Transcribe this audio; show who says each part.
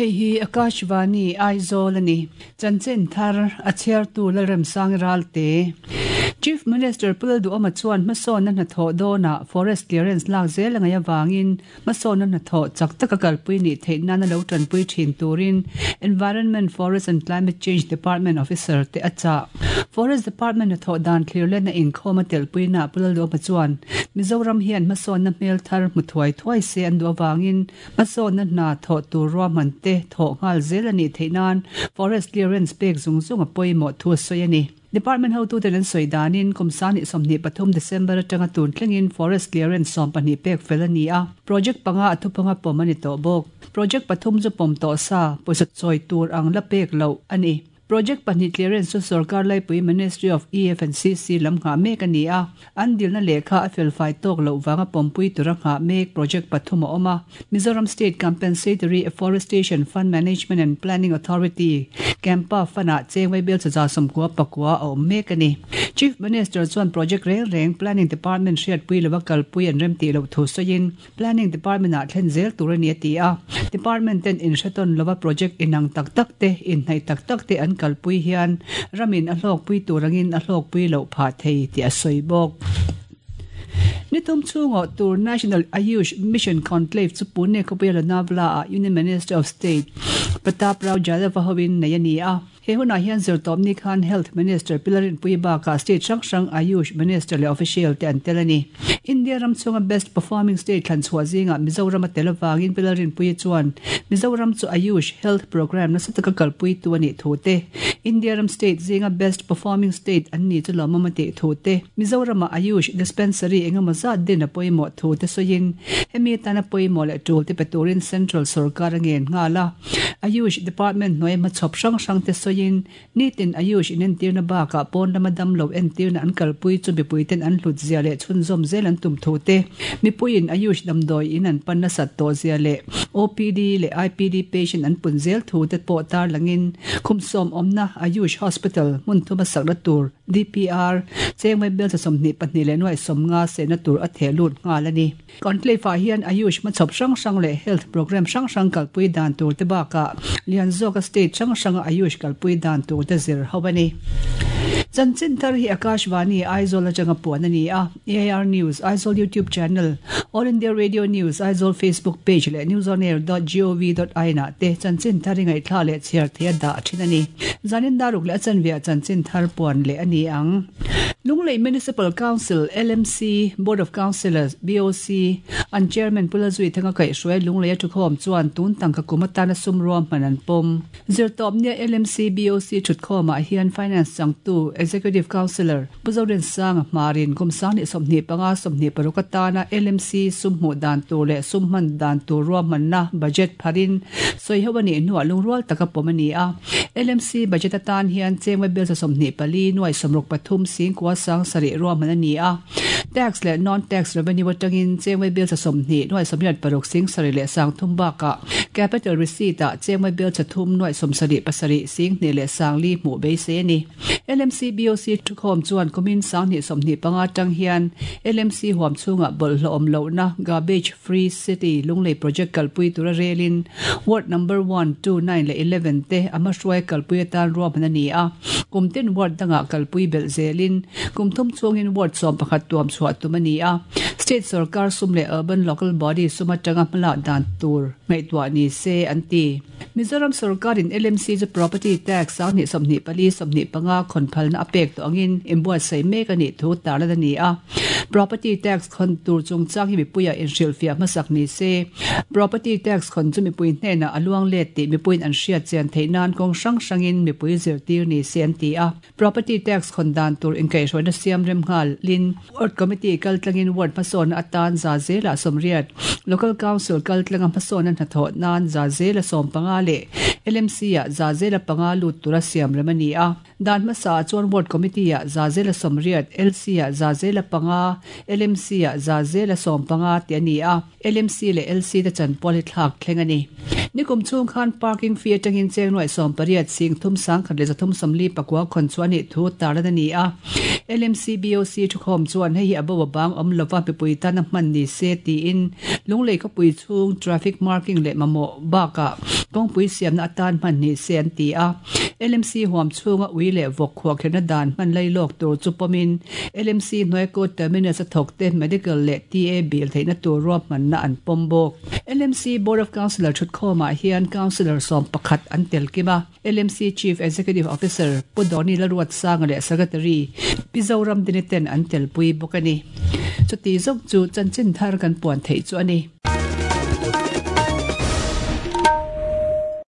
Speaker 1: Hei hi Akashvani, Aizawl a ni. Chanchin thar a chhiartu Lalremsangi Ralte. Chief Minister Pu Lalduhawma chuan hmasawnna hnathawh dawnah Forest Clearance lak zel a ngaih avangin hmasawnna hnathawh chak taka kalpui nih theih nana lo tanpui thin turin Environment, Forest and Climate Change Department officer te a chah. Forest Department hnathawh dan thlirletna inkhawm a telhpuinaah Pu Lalduhawma chuan Mizoram hian hmasawnna hmel thar hmu thuai thuai se an duh avangin Hmasawnna hna thawh tur ruahman te thawh nghal zel a nih theih nan Forest Clearance pek zung zung a pawimawh thu a sawi a ni. Department hotuten an sawi danin kum sangni 23 December atanga tun thlengin Forest Clearance 12 pek fel a ni a, project panga a thupanga pawm a ni tawh bawk. Project pathum chu pawm tawh sa, pawisa chawi tur ang la pek loh a ni. Project pahnih clearance chu sorkar laipui Ministry of EF and CC lam nghah mek a ni a, an dilna lehkha a felfai tawk loh vanga pawmpui tura nghah mek project pathum a awm a. Mizoram State Compensatory Afforestation Fund Management and Planning Authority, CAMPA, Fund-ah cheng vaibel chaza 94 a awm mek a ni. Chief Minister chuan project reng reng Planning Department hriatpui lova kalpui an remtih loh thu sawiin, Planning Department ah thlen zel tur a ni a ti a, Department ten inhretawn lova project inang tak tak te, inhnaih tak tak te an kalpui hian ramin a hlawkpui tur angin a hlawkpui loh phah thei tih a sawi bawk. Nithum chhungawh tur National Ayush Mission Conclave chu Pune khawpuia Lonavala ah Union Minister of State Pratap Rao Jadhav a hoin nei a ni a. He hunah hian zirtawpni khan Health Minister Pilarinpui bakah state hrang hrang Ayush Minister leh official te an tel a ni. India ram chhunga Best Performing State thlan chhuah zingah Mizoram a tel avangin Pilarinpuia chuan Mizoram chu Ayush Health Programme nasa taka kalpuitu a nih thu te, India ram state zinga Best Performing State an ni chu lawmawm a tih thu te, Mizoramah Ayush Dispensary engemaw zat din a pawimawh thu te sawiin hemi atana pawimawh leh tul te pe turin Central sorkar a ngen nghal a. Ayush Department hnuai hmachhawp hrang hrang te sawiin nitin Ayush inentirna bakah pawn lama damlo entirna an kalpui chu mipuiten an hlut zia leh chhunzawm zel an tum thu te, mipuiin Ayush damdawi in an pan nasat tawh zia leh OPD leh IPD patient an pun zel thu te pawh tarlangin khumsawm awmna Ayush Hospital hmun thuma sakna tur DPR chengmai bel 22 leh nuaih 50 sehna tur a theh lut nghal a ni. Conclave ah hian Ayush hmachhawp hrang hrang leh health programme hrang hrang kalpui dan tur te bakah lian zawka state hrang hranga Ayush kalpui dan tur te zir ho a ni. Chanchin thar hi Akashvani Aizawl atanga puan a ni a, AIR News Aizawl YouTube channel, All India Radio News Aizawl Facebook page leh newsonair dot gov dot in ah te chanchin thar hi ngaihthla leh chhiar theih a dah thin a ni. Zanin daruk leh a chanveah chanchin thar puan leh a ni ang. Lunglei Municipal Council, LMC, Board of Councillors, BOC, an Chairman Pu Lalzuithanga kaihhruai Lunglei a thukhawm chuan tun tangka kum atana sum ruahman an pawm. Zirtawpnia LMC BOC thutkhawmah hian Finance changtu Executive Councillor Pu Zorinsanga hmarin kum 2025 26 atana LMC sum hmuh dan tur leh sum hman dan tur ruahmanna budget pharin sawiho a nih hnuah lungrual taka pawm a ni a. LMC budget atan hian chengwe bill 24 nuai 63 singkua sang sarih ruahman a ni a. Tax leh non-tax revenue atangin chengwe bill 20 nuai 86 sing sarih leh sang thum bakah capital receipt ah chengwe bill 3 nuai 77 sing hnih leh sang li hmuh beisei a ni. LMC BOC thukhawm chuan kumin 2025 atang hian LMC huam chhungah bawlhhlawh awm lohna garbage free city Lunglei project kalpui tura relin ward number 1, 2, 9 leh 11 te a hmahruai kalpui atan ruahman a ni a. Kum tin ward dangah kalpui belh zelin kum thum chhungin ward 11 tuam chhuah tum a ni a. State sarkar sum leh urban local body sum atanga hmalak dan tur ngaihtuah ni se an ti. Mizoram sarkarin LMC chu property tax 2024 25 khawnphalna a pek tawh angin inbuatsaih mek a nih thu tarlan a ni a. Property tax khawn tur chungchang hi mipuiah inhrilhfiah hmasak ni se. Property tax khawn chu mipui hnenah a luang let tih mipuiin an hriat chian theih nan kawng hrang hrangin mipui zirtir ni se an ti a. Property tax khawn dan tur inkaihhruaina siam rem nghal lin Ward Committee kaltlangin ward hmasawnna atan za zela 80, Local Council kaltlanga hmasawnna hnathawh nan za zela 15 leh LMC ah za zela panga lut tura siam rem a ni a. Dan hmasa ah chuan Ward Committee ah za zela 80, LC ah za zela panga, LMC ah za zela 15 tih a ni a. LMC leh LC te chanpual hi thlak thleng a ni. Nikum chhung khan parking fee atangin cheng nuaih 18 sing thum sang khat leh 349 khawn chu a nih thu tarlan a ni a. LMC BOC thukhawm chuan hei hi a bo a bang awm lova mipui tana hman ni se tiin Lunglei khawpui chhung traffic marking leh mamawh bakah kawngpui siamna atan hman ni se an ti a. LMC huam chhunga ui leh vawk khuahkhirhna dan hman lai lawk tur chu pawmin LMC hnuai court terminus a thawkte medical leh TA bill theihna tur ruahmanna an pawm bawk. LMC Board of Councillor thutkhawmah hian Councillor 11 an tel kim a. LMC Chief Executive Officer Pu Donny Lalruatsanga leh Secretary Pi Zoram Dini ten an telpui bawk a ni. Chuti zawk chu chanchin thar kan puan theih chu a ni.